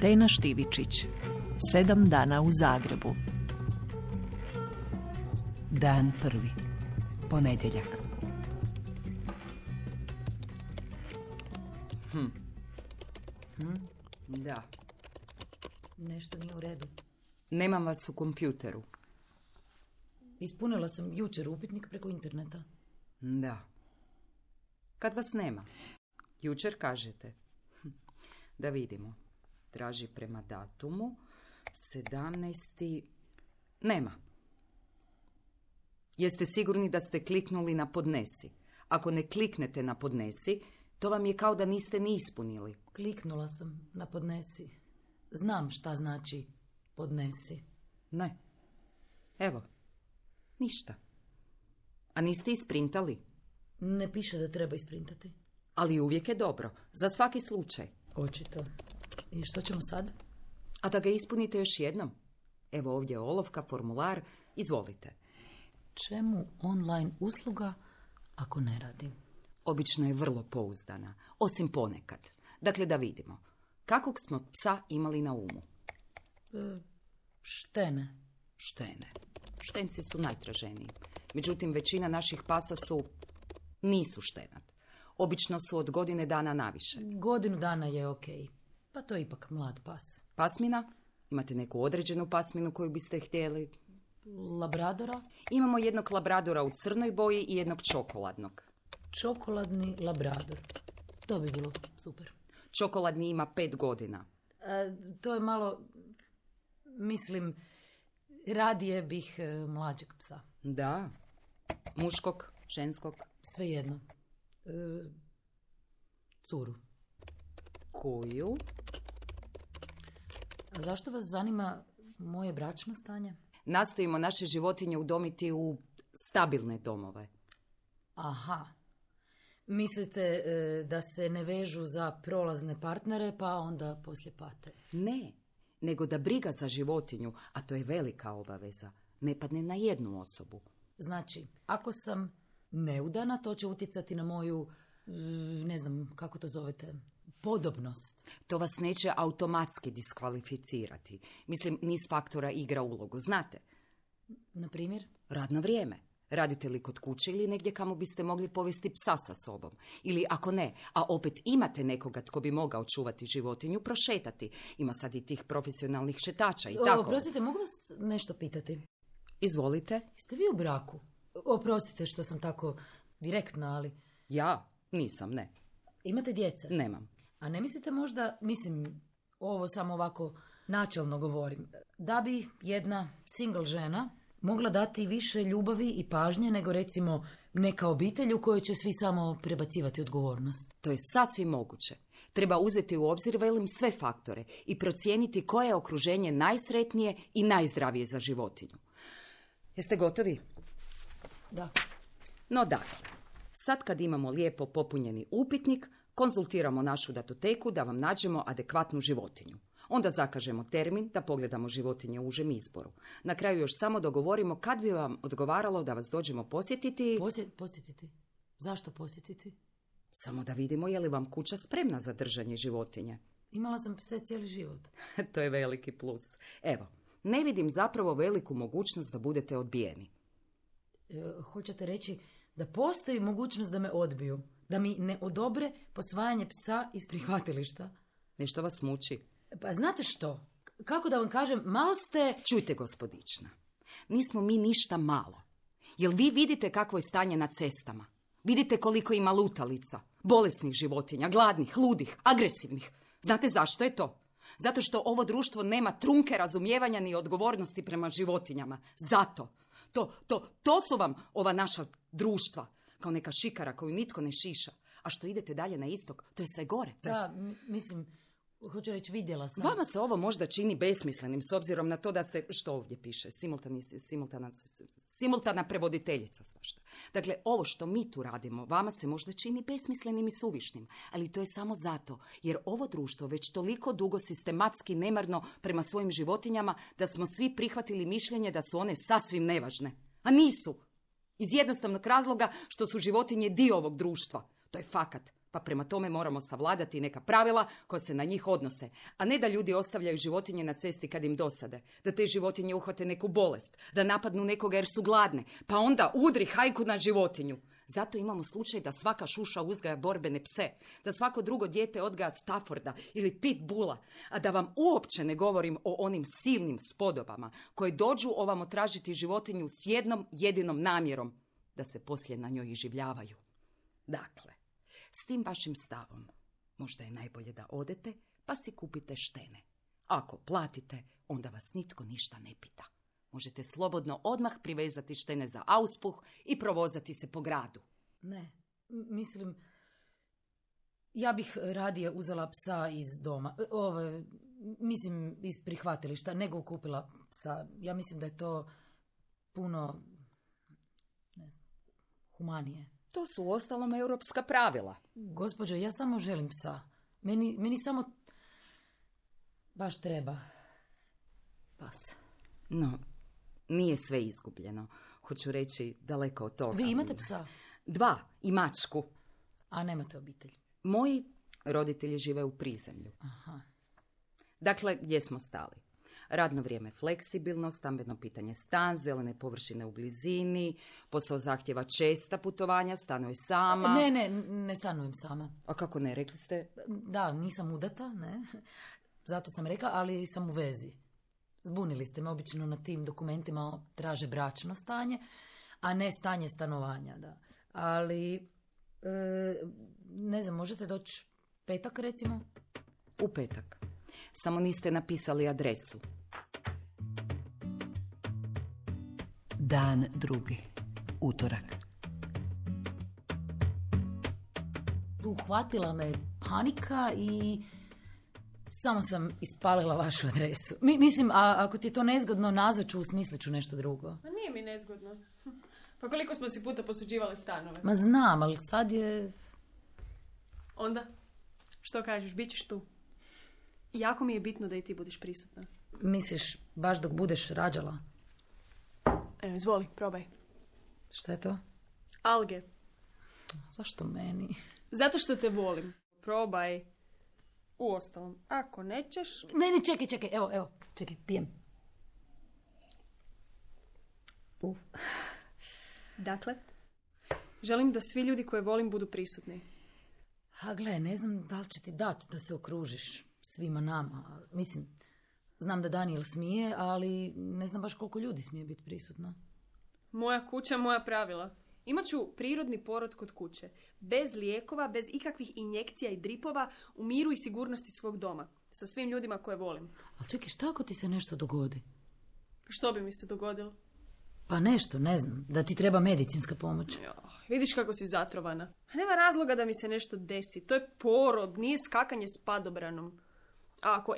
Tena Štivičić. 7 dana u Zagrebu. Dan 1. Ponedjeljak. Da. Nešto nije u redu. Nemam vas u kompjuteru. Ispunila sam jučer upitnik preko interneta. Da. Kad vas nema? Jučer kažete. Da vidimo. Traži prema datumu. 17. Nema. Jeste sigurni da ste kliknuli na podnesi? Ako ne kliknete na podnesi, to vam je kao da niste ni ispunili. Kliknula sam na podnesi. Znam šta znači podnesi. Ne. Evo. Ništa. A niste isprintali? Ne piše da treba isprintati. Ali uvijek je dobro. Za svaki slučaj. Očito. I što ćemo sad? A da ga ispunite još jednom. Evo ovdje je olovka, formular. Izvolite. Čemu online usluga ako ne radi? Obično je vrlo pouzdana. Osim ponekad. Dakle, da vidimo. Kakvog smo psa imali na umu? Štene. Štene. Štenci su najtraženiji. Međutim, većina naših pasa nisu štenat. Obično su od godine dana naviše. Godinu dana je okej. Pa to je ipak mlad pas. Pasmina? Imate neku određenu pasminu koju biste htjeli? Labradora? Imamo jednog labradora u crnoj boji i jednog čokoladnog. Čokoladni labrador. To bi bilo super. Čokoladni ima 5 godina. To je malo... Mislim, radije bih mlađeg psa. Da. Muškog, ženskog? Svejedno. Curu. Koju? A zašto vas zanima moje bračno stanje? Nastojimo naše životinje udomiti u stabilne domove. Aha. Mislite da se ne vežu za prolazne partnere, pa onda poslije pate? Ne, nego da briga za životinju, a to je velika obaveza, ne padne na jednu osobu. Znači, ako sam neudana, to će utjecati na moju, ne znam kako to zovete, podobnost. To vas neće automatski diskvalificirati. Mislim, niz faktora igra ulogu, znate? Na primjer? Radno vrijeme. Radite li kod kuće ili negdje kamo biste mogli povesti psa sa sobom? Ili ako ne, a opet imate nekoga tko bi mogao čuvati životinju, prošetati. Ima sad i tih profesionalnih šetača i tako. Oprostite, mogu vas nešto pitati? Izvolite. Jeste vi u braku? Oprostite što sam tako direktna, ali... Ja? Nisam, ne. Imate djece? Nemam. A ne mislite možda, mislim, ovo samo ovako načelno govorim, da bi jedna single žena mogla dati više ljubavi i pažnje nego recimo neka obitelj u kojoj će svi samo prebacivati odgovornost? To je sasvim moguće. Treba uzeti u obzir, velim, sve faktore i procijeniti koje je okruženje najsretnije i najzdravije za životinju. Jeste gotovi? Da. No dakle, sad kad imamo lijepo popunjeni upitnik, konzultiramo našu datoteku da vam nađemo adekvatnu životinju. Onda zakažemo termin da pogledamo životinje u užem izboru. Na kraju još samo dogovorimo kad bi vam odgovaralo da vas dođemo posjetiti. Posjetiti? Zašto posjetiti? Samo da vidimo je li vam kuća spremna za držanje životinje. Imala sam pse cijeli život. To je veliki plus. Evo, ne vidim zapravo veliku mogućnost da budete odbijeni. Hoćete reći da postoji mogućnost da me odbiju? Da mi ne odobre posvajanje psa iz prihvatilišta? Nešto vas muči? Pa znate što? Kako da vam kažem, malo ste... Čujte, gospodična, nismo mi ništa malo. Jel vi vidite kakvo je stanje na cestama? Vidite koliko ima lutalica, bolesnih životinja, gladnih, ludih, agresivnih. Znate zašto je to? Zato što ovo društvo nema trunke razumijevanja ni odgovornosti prema životinjama. Zato. To su vam ova naša društva. Kao neka šikara koju nitko ne šiša. A što idete dalje na istok, to je sve gore. Da, mislim, hoću reći, vidjela sam. Vama se ovo možda čini besmislenim s obzirom na to da ste, što ovdje piše, simultana prevoditeljica svašta. Dakle, ovo što mi tu radimo, vama se možda čini besmislenim i suvišnim, ali to je samo zato, jer ovo društvo već toliko dugo sistematski nemarno prema svojim životinjama da smo svi prihvatili mišljenje da su one sasvim nevažne. A nisu. Iz jednostavnog razloga što su životinje dio ovog društva. To je fakat. Pa prema tome moramo savladati neka pravila koja se na njih odnose, a ne da ljudi ostavljaju životinje na cesti kad im dosade, da te životinje uhvate neku bolest, da napadnu nekoga jer su gladne, pa onda udri hajku na životinju. Zato imamo slučaj da svaka šuša uzgaja borbene pse, da svako drugo dijete odgaja Stafforda ili Pitbulla, a da vam uopće ne govorim o onim silnim spodobama koje dođu ovamo tražiti životinju s jednom jedinom namjerom, da se poslije na njoj iživljavaju. Dakle, s tim vašim stavom možda je najbolje da odete pa si kupite štene. Ako platite, onda vas nitko ništa ne pita. Možete slobodno odmah privezati štene za auspuh i provozati se po gradu. Ne, mislim, ja bih radije uzela psa iz doma, mislim iz prihvatilišta, nego kupila psa. Ja mislim da je to puno, ne znam, humanije. To su uostalom europska pravila. Gospođo, ja samo želim psa. Meni samo baš treba pas. No, nije sve izgubljeno. Hoću reći, daleko od toga. Vi imate psa? 2 i mačku. A nemate obitelj? Moji roditelji žive u prizemlju. Aha. Dakle, gdje smo stali? Radno vrijeme fleksibilno, stambeno pitanje stan, zelene površine u blizini, posao zahtjeva česta putovanja, stanuj sama. Ne stanujem sama. A kako ne, rekli ste? Da, nisam udata, ne. Zato sam rekla, ali sam u vezi. Zbunili ste me, obično na tim dokumentima traže bračno stanje, a ne stanje stanovanja, da. Ali, ne znam, možete doći petak, recimo? U petak. Samo niste napisali adresu. Dan 2. Utorak. Uhvatila me panika i samo sam ispalila vašu adresu. Mislim, ako ti je to nezgodno, nazvat ću, usmislit ću nešto drugo. Ma nije mi nezgodno. Pa koliko smo si puta posuđivali stanove? Ma znam, ali sad je... Onda? Što kažeš, bit ćeš tu? Jako mi je bitno da i ti budiš prisutna. Misliš, baš dok budeš rađala? Evo, izvoli, probaj. Šta je to? Alge. Zašto meni? Zato što te volim. Probaj. Uostalom, ako nećeš... Ne, čekaj, evo, čekaj, pijem. Uf. Dakle, želim da svi ljudi koje volim budu prisutni. A gle, ne znam da li će ti dati da se okružiš svima nama. Mislim, znam da Daniel smije, ali ne znam baš koliko ljudi smije biti prisutno. Moja kuća, moja pravila. Imaću prirodni porod kod kuće. Bez lijekova, bez ikakvih injekcija i dripova, u miru i sigurnosti svog doma. Sa svim ljudima koje volim. Ali čekaj, šta ako ti se nešto dogodi? Što bi mi se dogodilo? Pa nešto, ne znam, da ti treba medicinska pomoć. Jo, vidiš kako si zatrovana. Nema razloga da mi se nešto desi. To je porod, nije skakanje s padobranom. A ako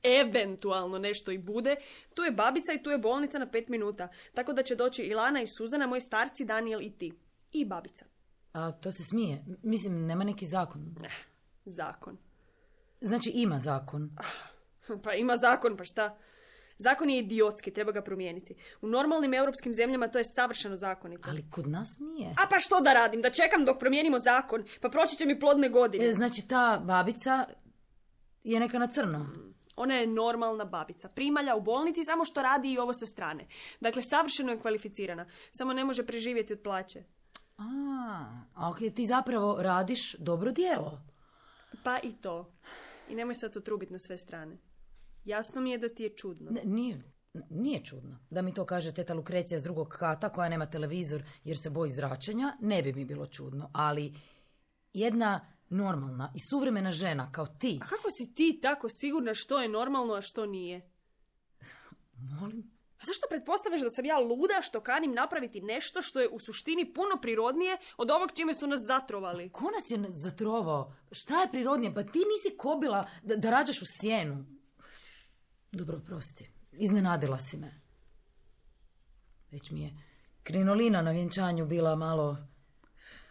eventualno nešto i bude, tu je babica i tu je bolnica na 5 minuta. Tako da će doći Ilana i Suzana, moji starci, Daniel i ti. I babica. A to se smije? Mislim, nema neki zakon. Zakon. Znači ima zakon. Pa ima zakon, pa šta? Zakon je idiotski, treba ga promijeniti. U normalnim europskim zemljama to je savršeno zakonito. Ali kod nas nije. A pa što da radim? Da čekam dok promijenimo zakon? Pa proći će mi plodne godine. Znači ta babica je neka na crno. Ona je normalna babica. Primalja u bolnici, samo što radi i ovo sa strane. Dakle, savršeno je kvalificirana. Samo ne može preživjeti od plaće. A ok, ti zapravo radiš dobro djelo. Pa i to. I nemoj sad to trubiti na sve strane. Jasno mi je da ti je čudno. Nije čudno. Da mi to kaže teta Lukrecija s drugog kata koja nema televizor jer se boji zračenja, ne bi mi bilo čudno. Ali jedna normalna i suvremena žena kao ti... A kako si ti tako sigurna što je normalno, a što nije? Molim? A zašto pretpostavljaš da sam ja luda što kanim napraviti nešto što je u suštini puno prirodnije od ovog čime su nas zatrovali? Ko nas je zatrovao? Šta je prirodnije? Pa ti nisi kobila da rađaš u sjenu. Dobro, prosti. Iznenadila si me. Već mi je krinolina na vjenčanju bila malo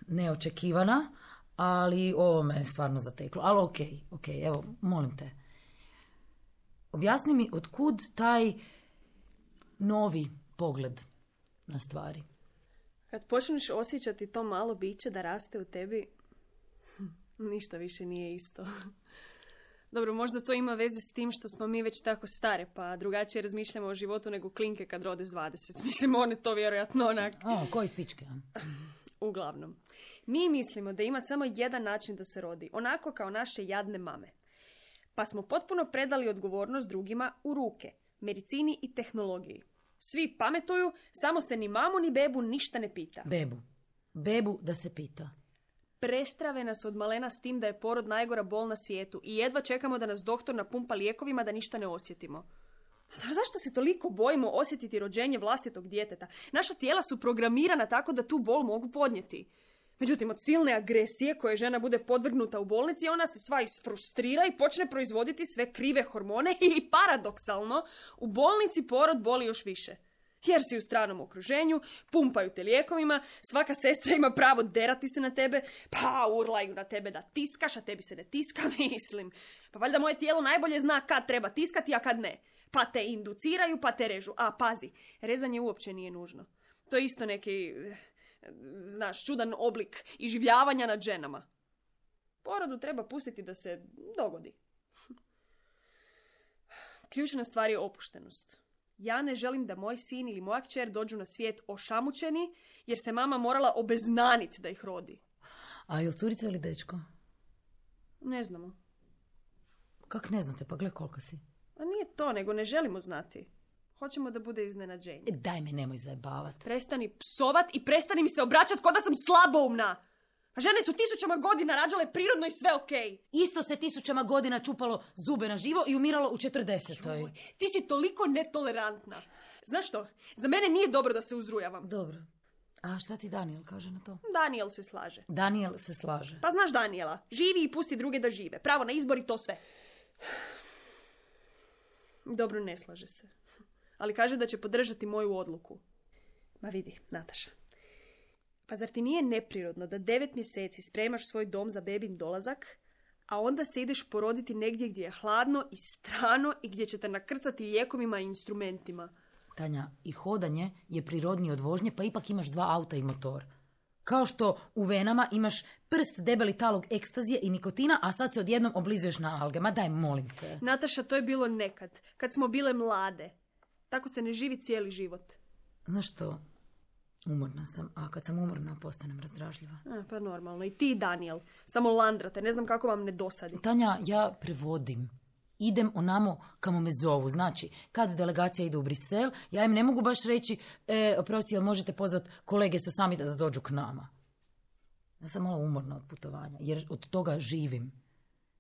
neočekivana, ali ovo me je stvarno zateklo. Ali okej, evo, molim te. Objasni mi otkud taj novi pogled na stvari. Kad počneš osjećati to malo biće da raste u tebi, Ništa više nije isto. Dobro, možda to ima veze s tim što smo mi već tako stare, pa drugačije razmišljamo o životu nego klinke kad rode s 20. Mislim, one to vjerojatno onak... Koji spičke? Uglavnom, mi mislimo da ima samo jedan način da se rodi, onako kao naše jadne mame. Pa smo potpuno predali odgovornost drugima u ruke, medicini i tehnologiji. Svi pametuju, samo se ni mamu ni bebu ništa ne pita. Bebu da se pita. Prestrave nas od malena s tim da je porod najgora bol na svijetu i jedva čekamo da nas doktor napumpa lijekovima da ništa ne osjetimo. Zašto se toliko bojimo osjetiti rođenje vlastitog djeteta? Naša tijela su programirana tako da tu bol mogu podnijeti. Međutim, od silne agresije koje žena bude podvrgnuta u bolnici, ona se sva isfrustrira i počne proizvoditi sve krive hormone i paradoksalno, u bolnici porod boli još više. Jer si u stranom okruženju, pumpaju te lijekovima, svaka sestra ima pravo derati se na tebe, pa urlaju na tebe da tiskaš, a tebi se ne tiska, mislim. Pa valjda moje tijelo najbolje zna kad treba tiskati, a kad ne. Pa te induciraju, pa te režu. A pazi, rezanje uopće nije nužno. To je isto neki, znaš, čudan oblik iživljavanja nad ženama. Porodu treba pustiti da se dogodi. Ključna stvar je opuštenost. Ja ne želim da moj sin ili moja kćer dođu na svijet ošamućeni, jer se mama morala obeznaniti da ih rodi. A je li curica ili dečko? Ne znamo. Kak ne znate? Pa gle koliko si. A nije to, nego ne želimo znati. Hoćemo da bude iznenađenje. Daj me, nemoj zajebavat. Prestani psovat i prestani mi se obraćati ko da sam slaboumna. A žene su 1000 godina rađale prirodno i sve okej. Isto se 1000 godina čupalo zube na živo i umiralo u 40. Ti si toliko netolerantna. Znaš što? Za mene nije dobro da se uzrujavam. Dobro. A šta ti Daniel kaže na to? Daniel se slaže. Daniel se slaže. Pa znaš Daniela, živi i pusti druge da žive. Pravo na izbor i to sve. Dobro, ne slaže se. Ali kaže da će podržati moju odluku. Ma vidi, Nataša. Pa zar ti nije neprirodno da 9 mjeseci spremaš svoj dom za bebin dolazak, a onda se ideš poroditi negdje gdje je hladno i strano i gdje će te nakrcati lijekovima i instrumentima? Tanja, i hodanje je prirodnije od vožnje, pa ipak imaš 2 auta i motor. Kao što u venama imaš prst debeli talog ekstazije i nikotina, a sad se odjednom oblizuješ na alge. Ma daj, molim te. Nataša, to je bilo nekad, kad smo bile mlade. Tako se ne živi cijeli život. Znaš što? Umorna sam, a kad sam umorna postanem razdražljiva. Pa normalno. I ti, Daniel. Samo landrate, ne znam kako vam ne dosadi. Tanja, ja prevodim. Idem onamo kamo me zovu. Znači, kad delegacija ide u Brisel, ja im ne mogu baš reći, oprosti, jel možete pozvati kolege sa samita da dođu k nama. Ja sam malo umorna od putovanja, jer od toga živim.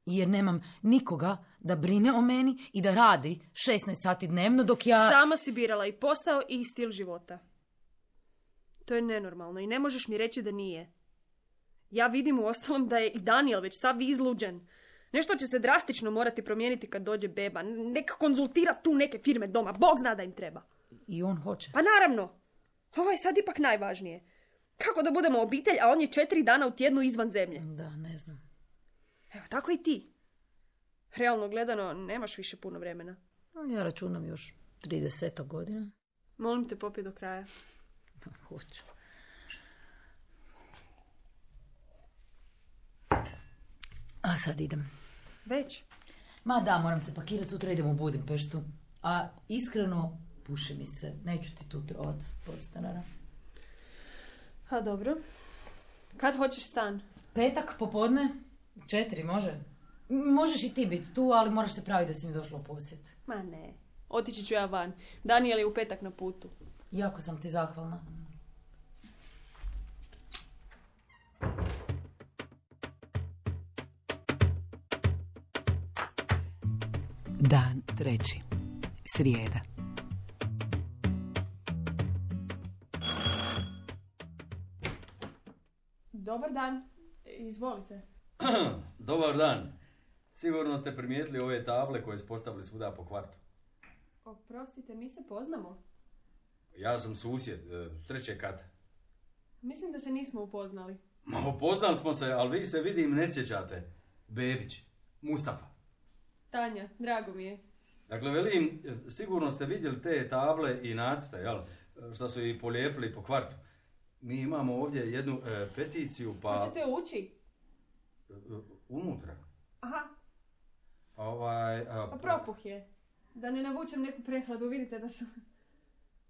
I jer nemam nikoga da brine o meni i da radi 16 sati dnevno dok ja... Sama si birala i posao i stil života. To je nenormalno i ne možeš mi reći da nije. Ja vidim u ostalom da je i Daniel već sav izluđen. Nešto će se drastično morati promijeniti kad dođe beba. Nek konzultira tu neke firme doma. Bog zna da im treba. I on hoće. Pa naravno. Ovo je sad ipak najvažnije. Kako da budemo obitelj, a on je 4 dana u tjednu izvan zemlje? Da, ne znam. Evo, tako i ti. Realno gledano, nemaš više puno vremena. Ja računam još 30 godina. Molim te, popij do kraja. Da, hoću. A sad idem. Već? Ma da, moram se pakirati, sutra idem u Budimpeštu. A iskreno, puši mi se. Neću ti tu trovat podstanara. A dobro. Kad hoćeš stan? Petak, popodne, 4, može? Možeš i ti biti tu, ali moraš se praviti da si mi došla u posjet. Ma ne. Otići ću ja van. Daniel je u petak na putu. Jako sam ti zahvalna. Dan 3. Srijeda. Dobar dan. Izvolite. Dobar dan. Sigurno ste primijetili ove table koje su postavili svuda po kvartu. Oprostite, mi se poznamo. Ja sam susjed, s 3. kata. Mislim da se nismo upoznali. Ma, upoznali smo se, ali vi se vidim ne sjećate. Bebić, Mustafa. Tanja, drago mi je. Dakle, velim, sigurno ste vidjeli te table i nacrte, jel? Što su i polijepili po kvartu. Mi imamo ovdje jednu peticiju, pa... Hoćete ući? Unutra. Aha, Pa propuh je. Da ne navučem neku prehladu, vidite da su...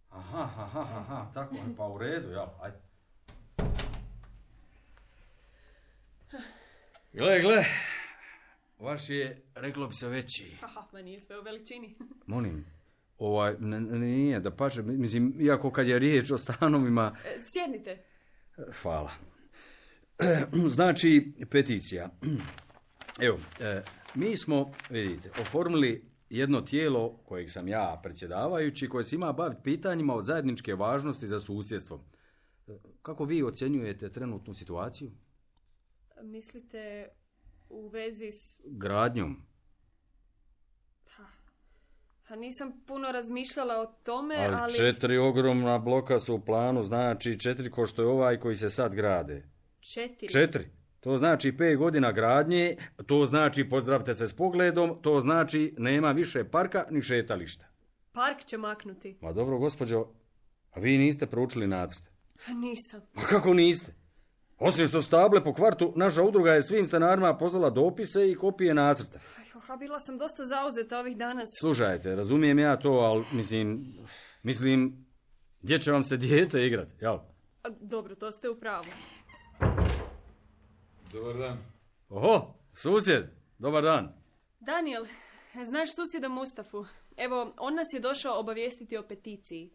Aha, tako, pa u redu, jel, ajde. Gle, vaš je, reklo bi se, veći. Aha, ma nije sve u veličini. Molim, nije, da pače, mislim, iako kad je riječ o stanovima... Sjednite. Hvala. Znači, peticija. Evo, mi smo, vidite, oformili jedno tijelo kojeg sam ja predsjedavajući, koje se ima baviti pitanjima od zajedničke važnosti za susjedstvo. Kako vi ocjenjujete trenutnu situaciju? Mislite u vezi s... Gradnjom. Pa nisam puno razmišljala o tome, Ali 4 ogromna bloka su u planu, znači 4 ko što je ovaj koji se sad grade. 4? To znači 5 godina gradnje, to znači pozdravite se s pogledom, to znači nema više parka ni šetališta. Park će maknuti. Ma dobro, gospođo, a vi niste proučili nacrt? Nisam. Ma kako niste? Osim što stable po kvartu, naša udruga je svim stanarima poslala dopise i kopije nacrta. Bila sam dosta zauzeta ovih dana. Slušajte, razumijem ja to, ali mislim, gdje će vam se dijete igrati, jel? Dobro, to ste u pravu. Dobar dan. Oho, susjed, dobar dan. Daniel, znaš susjeda Mustafu? Evo, on nas je došao obavijestiti o peticiji.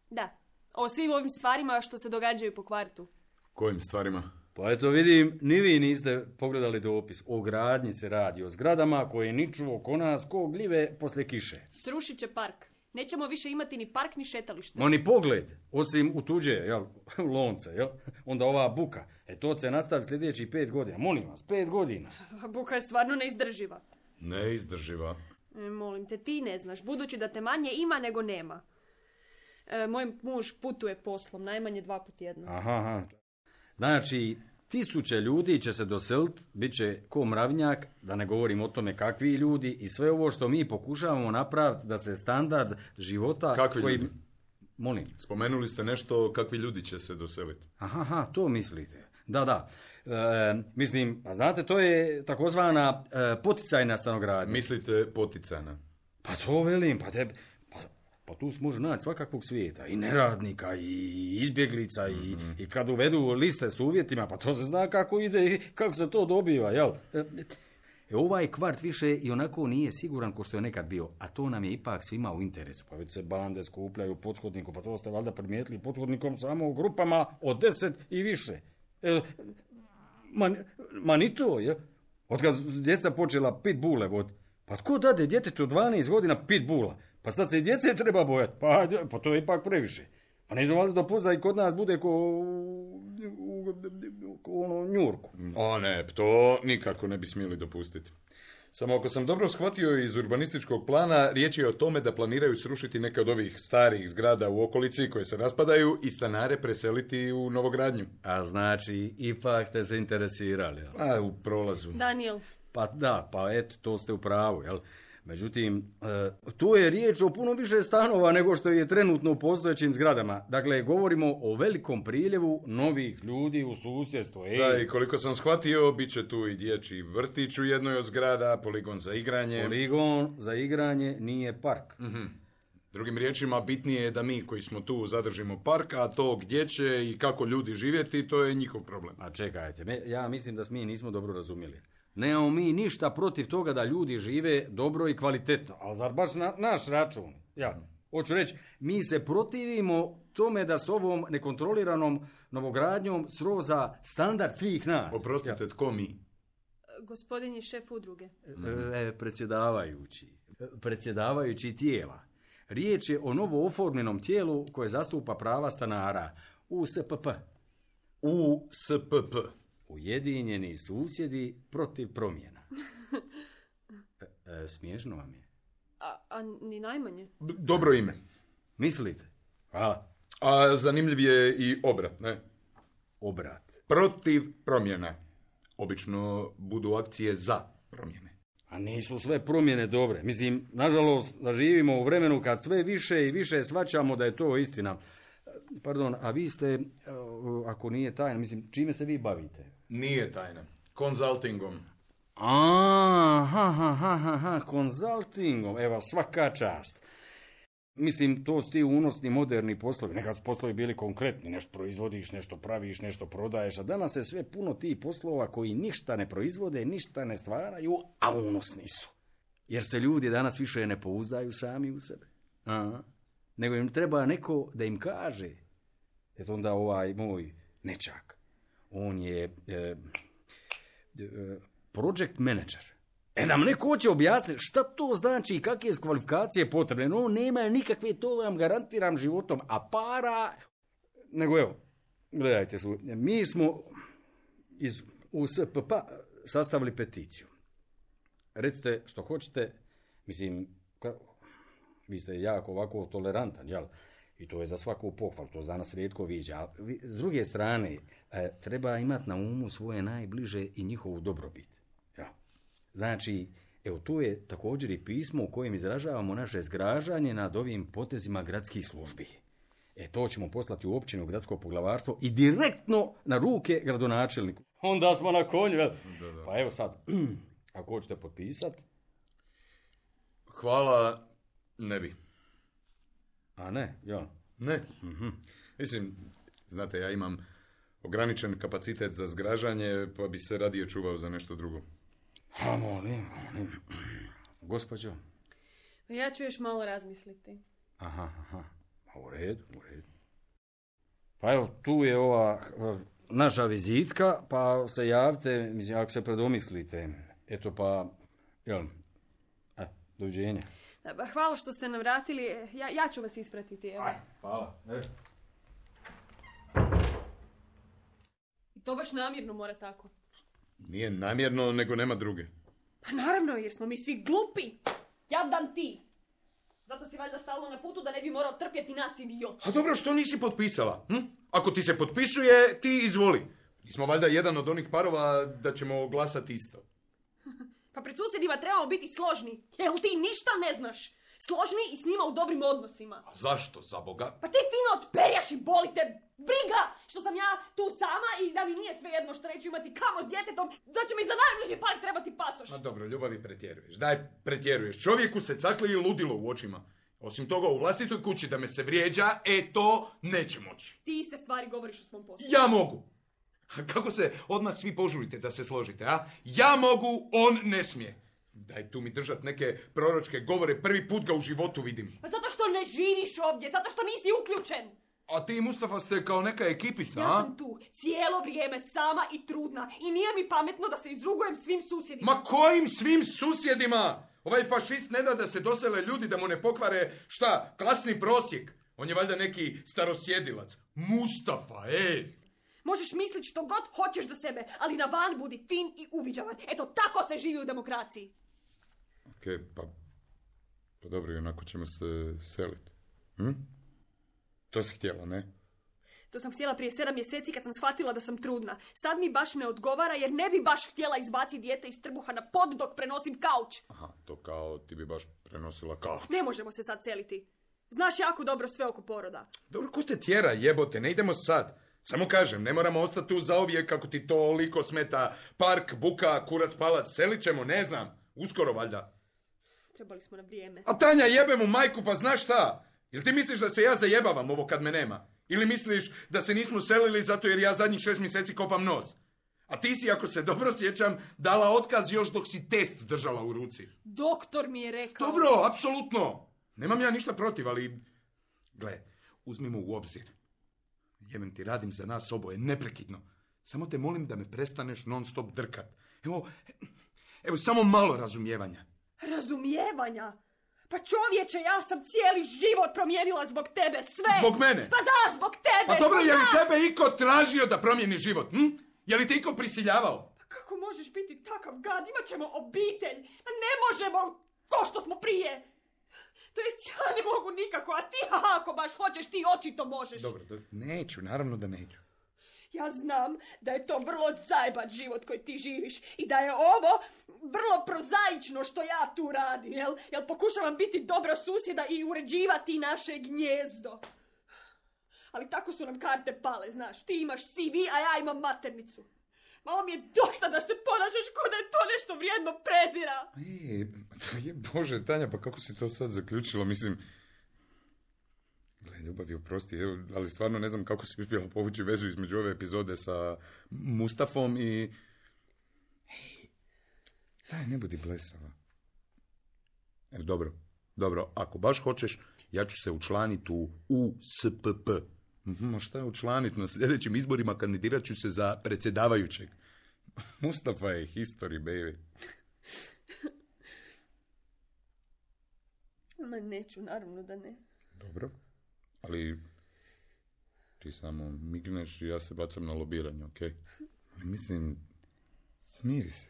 Da, o svim ovim stvarima što se događaju po kvartu. Kojim stvarima? Pa eto vidim, ni vi niste pogledali dopis. O gradnji se radi, o zgradama koje niču oko nas ko gljive poslije kiše. Srušit će park. Nećemo više imati ni park ni šetalište. Ma ni pogled, osim u tuđe, jel, u lonce, jel, onda ova buka. To će nastavi sljedećih 5 godina. Molim vas, 5 godina. Buka je stvarno neizdrživa. Neizdrživa? Molim te, ti ne znaš, budući da te manje ima nego nema. Moj muž putuje poslom, najmanje 2 puta tjedno. Aha. Znači, 1000 ljudi će se doseliti, bit će ko mravnjak, da ne govorim o tome kakvi ljudi, i sve ovo što mi pokušavamo napraviti da se standard života... Kakvi ljudi? Molim. Spomenuli ste nešto, kakvi ljudi će se doseliti. Aha, to mislite. Da. Mislim, pa znate, to je takozvana poticajna stanogradnja. Mislite poticajna? Pa to velim, pa tu se može naći svakakvog svijeta, i neradnika, i izbjeglica, i kad uvedu liste s uvjetima, pa to se zna kako ide i kako se to dobiva, jel? Ovaj kvart više i onako nije siguran ko što je nekad bio, a to nam je ipak svima u interesu, pa već se bande skupljaju u pothodniku, pa to ste valjda primijetili, pothodnikom samo u grupama od 10 i više. Ma ni to, je? Od kad djeca počela pit bule voditi, pa tko dade djetetu 12 godina pit bula? Pa sad se i djece treba bojati, pa to je ipak previše. Pa neću valjda dopustiti da i kod nas bude ko Njurku. O ne, to nikako ne bi smjeli dopustiti. Samo ako sam dobro shvatio iz urbanističkog plana, riječ je o tome da planiraju srušiti neke od ovih starih zgrada u okolici koje se raspadaju i stanare preseliti u novogradnju. A znači, ipak ste se interesirali, jel? A, u prolazu. Daniel. Pa da, pa eto, to ste u pravu, jel? Međutim, tu je riječ o puno više stanova nego što je trenutno u postojećim zgradama. Dakle, govorimo o velikom priljevu novih ljudi u susjedstvu. Da, i koliko sam shvatio, bit će tu i dječji vrtić u jednoj od zgrada, poligon za igranje. Poligon za igranje nije park. Drugim riječima, bitnije je da mi koji smo tu zadržimo park, a to gdje će i kako ljudi živjeti, to je njihov problem. A čekajte, ja mislim da mi nismo dobro razumjeli. Nemamo mi ništa protiv toga da ljudi žive dobro i kvalitetno, ali zar baš na naš račun? Ja, hoću reći, mi se protivimo tome da s ovom nekontroliranom novogradnjom sroza standard svih nas. Oprostite, tko mi? Gospodin je šef udruge. Predsjedavajući tijela. Riječ je o novo oformljenom tijelu koje zastupa prava stanara. USPP. USPP. Ujedinjeni susjedi protiv promjena. Smiješno vam je. A ni najmanje. Dobro ime. Mislite? Hvala. A zanimljiv je i obrat, ne? Obrat. Protiv promjena. Obično budu akcije za promjene. A nisu sve promjene dobre. Mislim, nažalost, da živimo u vremenu kad sve više i više shvaćamo da je to istina. Pardon, a vi ste ako nije tajna, mislim, čime se vi bavite? Nije tajna. Konzultingom. Aha, konzultingom, evo, svaka čast. Mislim, to su ti unosni moderni poslovi. Nekad su poslovi bili konkretni, nešto proizvodiš, nešto praviš, nešto prodaješ, a danas je sve puno tih poslova koji ništa ne proizvode, ništa ne stvaraju, a unosni su. Jer se ljudi danas više ne pouzdaju sami u sebe. Nego im treba neko da im kaže. Eto onda ovaj moj nečak, on je project manager. Da mu neko hoće objasniti šta to znači i kakve su kvalifikacije potrebne. No, nema nikakve, to vam garantiram životom, a para... Nego evo, gledajte, mi smo iz USPP sastavili peticiju. Recite što hoćete, mislim, vi ste jako ovako tolerantan, jel? I to je za svaku pohvalu, to za nas rijetko viđa. S druge strane, treba imati na umu svoje najbliže i njihovu dobrobit. Ja. Znači, evo tu je također i pismo u kojem izražavamo naše zgražanje nad ovim potezima gradskih službi. To ćemo poslati u općinu, gradsko poglavarstvo i direktno na ruke gradonačelniku. Onda smo na konju, jel? Da. Pa evo sad, ako hoćete potpisati. Hvala, ne bi. A ne, ja? Ne. Mislim, znate, ja imam ograničen kapacitet za zgražanje, pa bi se radije čuvao za nešto drugo. A molim. Gospođo? Ja ću još malo razmisliti. Aha. U redu. Pa evo, tu je ova naša vizitka, pa se javite, mislim, ako se predomislite. Eto pa, jel, doviđenja. Hvala što ste nam vratili. Ja ću vas ispratiti. Evo. Hvala. I to baš namjerno mora tako. Nije namjerno, nego nema druge. Pa naravno, jer smo mi svi glupi. Jadan ti. Zato si valjda stalno na putu da ne bi morao trpjeti nas, idiot. A dobro, što nisi potpisala? Ako ti se potpisuje, ti izvoli. Mi smo valjda jedan od onih parova da ćemo glasati isto. Pa pred susjedima trebamo biti složni. Jel ti ništa ne znaš? Složni i s njima u dobrim odnosima. A zašto, za Boga? Pa ti fino otperjaš i boli te briga što sam ja tu sama i da mi nije svejedno što neću imati kamo s djetetom, da će mi za najbliži par trebati pasoš. Ma dobro, ljubavi pretjeruješ. Daj, pretjeruješ. Čovjeku se cakli i ludilo u očima. Osim toga, u vlastitoj kući da me se vrijeđa, to neće moći. Ti iste stvari govoriš o svom poslu. Ja mogu. A kako se odmah svi požurite da se složite, a? Ja mogu, on ne smije. Daj tu mi držat neke proročke govore, prvi put ga u životu vidim. Pa zato što ne živiš ovdje, zato što nisi uključen. A ti, Mustafa, ste kao neka ekipica, Ja sam tu cijelo vrijeme sama i trudna i nije mi pametno da se izrugujem svim susjedima. Ma kojim svim susjedima? Ovaj fašist ne da se dosele ljudi da mu ne pokvare, šta, klasni prosjek. On je valjda neki starosjedilac. Mustafa, Možeš misliti što god hoćeš za sebe, ali na van budi fin i uviđavan. Eto, tako se živi u demokraciji. Okej, pa dobro, i onako ćemo se seliti. To si htjela, ne? To sam htjela prije 7 mjeseci kad sam shvatila da sam trudna. Sad mi baš ne odgovara jer ne bi baš htjela izbaciti dijete iz trbuha na pod dok prenosim kauč. Aha, to kao ti bi baš prenosila kauč. Ne možemo se sad seliti. Znaš jako dobro sve oko poroda. Dobro, ko te tjera, jebote, ne idemo sad. Samo kažem, ne moramo ostati tu zauvijek kako ti toliko smeta park, buka, kurac, palac. Selit ćemo, ne znam, uskoro valjda. Trebali smo na vrijeme. A Tanja, jebe mu majku, pa znaš šta? Jel ti misliš da se ja zajebavam ovo kad me nema? Ili misliš da se nismo selili zato jer ja zadnjih 6 mjeseci kopam nos? A ti si, ako se dobro sjećam, dala otkaz još dok si test držala u ruci. Doktor mi je rekao. Dobro, apsolutno. Nemam ja ništa protiv, ali... Gle, uzmimo u obzir. Jebem ti, radim za nas oboje, neprekidno. Samo te molim da me prestaneš non stop drkat. Evo, samo malo razumijevanja. Razumijevanja? Pa čovječe, ja sam cijeli život promijenila zbog tebe, sve! Zbog mene? Pa da, zbog tebe! Pa dobro, je li tebe iko tražio da promijeni život? Je li te iko prisiljavao? Pa kako možeš biti takav gad? Imat ćemo obitelj. Pa ne možemo ko što smo prije. To jest ja ne mogu nikako, a ti ako baš hoćeš, ti očito možeš. Dobro, neću, naravno da neću. Ja znam da je to vrlo zajeban život koji ti živiš i da je ovo vrlo prozaično što ja tu radim, jel pokušavam biti dobra susjeda i uređivati naše gnjezdo. Ali tako su nam karte pale, znaš. Ti imaš CV, a ja imam maternicu. Malo mi je dosta da se ponašaš ko da je to nešto vrijedno prezira. Bože, Tanja, pa kako si to sad zaključila? Mislim, gle, ljubav je oprosti, evo, ali stvarno ne znam kako si uspjela povući vezu između ove epizode sa Mustafom i... Daj, ne budi blesava. Dobro, ako baš hoćeš, ja ću se učlaniti u USPP. Ma šta je učlaniti? Na sljedećim izborima kandidirat ću se za predsjedavajućeg. Mustafa je history, baby. Ma neću, naravno da ne. Dobro, ali ti samo migneš i ja se bacam na lobiranje, ok? Ali mislim, smiri se.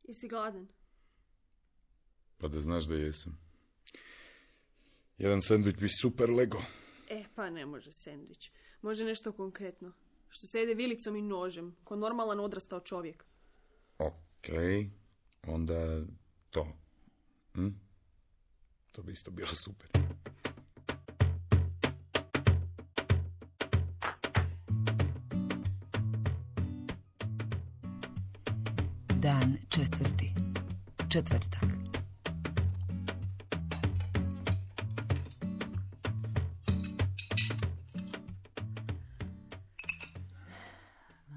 Jesi gladan? Pa da znaš da jesam. Jedan sendvič bi super lego. Pa ne može sendvič. Može nešto konkretno. Što se jede vilicom i nožem, ko normalan odrastao čovjek. Ok, onda to. To bi isto bilo super. Dan 4. Četvrtak.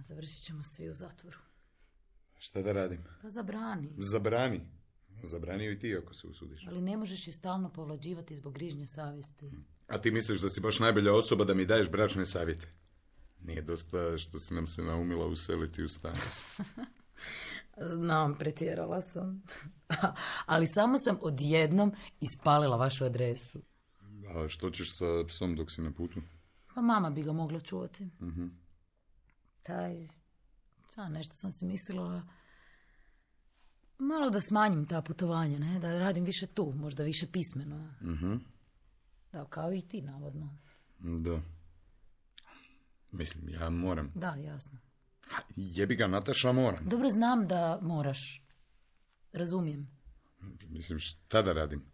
Završit ćemo svi u zatvoru. Šta da radim? Pa zabrani. Zabrani i ti ako se usudiš. Ali ne možeš ju stalno povlađivati zbog grižnje savjesti. A ti misliš da si baš najbolja osoba da mi daješ bračne savjete? Nije dosta što si nam se naumila useliti u stan. Znam, pretjerala sam. Ali samo sam odjednom ispalila vašu adresu. A što ćeš sa psom dok si na putu? Pa mama bi ga mogla čuvati. Nešto sam si mislila... Malo da smanjim ta putovanja, ne? Da radim više tu, možda više pismeno. Da, kao i ti, navodno. Da. Mislim, ja moram. Da, jasno. Jebi ga, Nataša, moram. Dobro, znam da moraš. Razumijem. Mislim, šta da radim?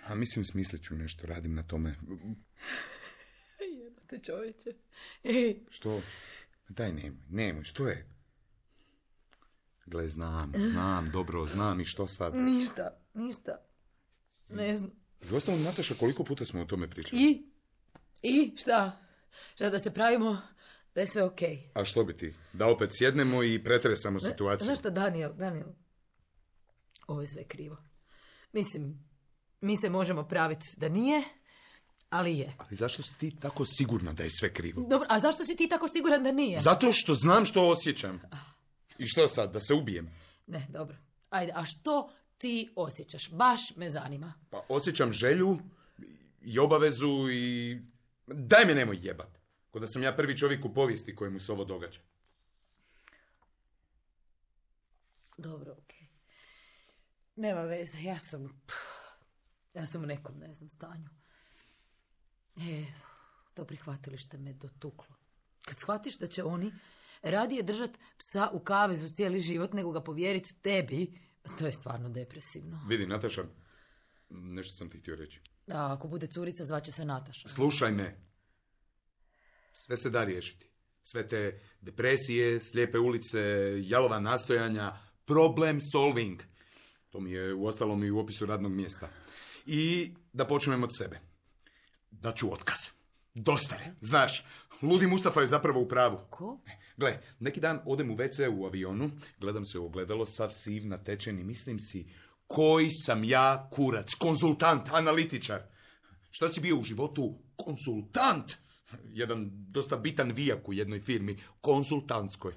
A mislim, smislit ću nešto, radim na tome. Jebate čovječe. Što? Daj, nemoj, što je? Gle, znam, dobro, znam i što sad? Ništa. Ne znam. I osnovno, Nataša, koliko puta smo o tome pričali? I šta? Šta da se pravimo da je sve okej? A što bi ti? Da opet sjednemo i pretresamo situaciju? Znaš šta, Daniel, ovo je sve krivo. Mislim, mi se možemo praviti da nije, ali je. Ali zašto si ti tako sigurna da je sve krivo? Dobro, a zašto si ti tako siguran da nije? Zato što znam što osjećam. I što sad, da se ubijem? Ne, dobro. Ajde, a što ti osjećaš? Baš me zanima. Pa osjećam želju i obavezu i... Daj me nemoj jebat. Ko da sam ja prvi čovjek u povijesti kojemu se ovo događa. Dobro, okej. Nema veze, ja sam u nekom, ne znam, stanju. To prihvatilište me dotuklo. Kad shvatiš da će oni radije držati psa u kavezu cijeli život nego ga povjeriti tebi, to je stvarno depresivno. Vidi, Nataša, nešto sam ti htio reći. A ako bude curica, zvaće se Nataša. Slušaj me. Sve se da riješiti. Sve te depresije, slijepe ulice, jalova nastojanja, problem solving. To mi je uostalom i u opisu radnog mjesta. I da počnem od sebe. Da ću otkaz. Dosta je, znaš. Ludi Mustafa je zapravo u pravu. Ko? Gle, neki dan odem u WC u avionu, gledam se u ogledalo, sav siv, natečen i mislim si, koji sam ja kurac, konzultant, analitičar. Šta si bio u životu? Konzultant! Jedan dosta bitan vijak u jednoj firmi, konzultantskoj.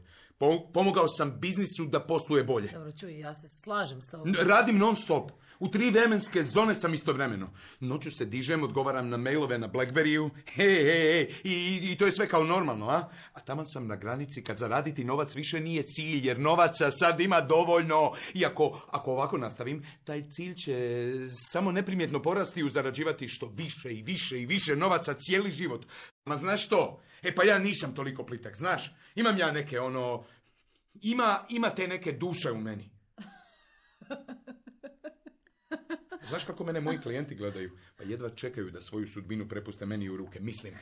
Pomogao sam biznisu da posluje bolje. Dobro, čuj, ja se slažem s tobom. Radim non stop. U 3 vremenske zone sam istovremeno. Noću se dižem, odgovaram na mailove na Blackberryu. I to je sve kao normalno, a? A taman sam na granici kad zaraditi novac više nije cilj, jer novaca sad ima dovoljno. I ako ovako nastavim, taj cilj će samo neprimjetno porasti i zarađivati što više i više i više novaca cijeli život. Ma znaš što? Pa ja nisam toliko plitak, znaš? Imam ja neke Ima te neke duše u meni. Znaš kako mene moji klijenti gledaju? Pa jedva čekaju da svoju sudbinu prepuste meni u ruke. Mislim,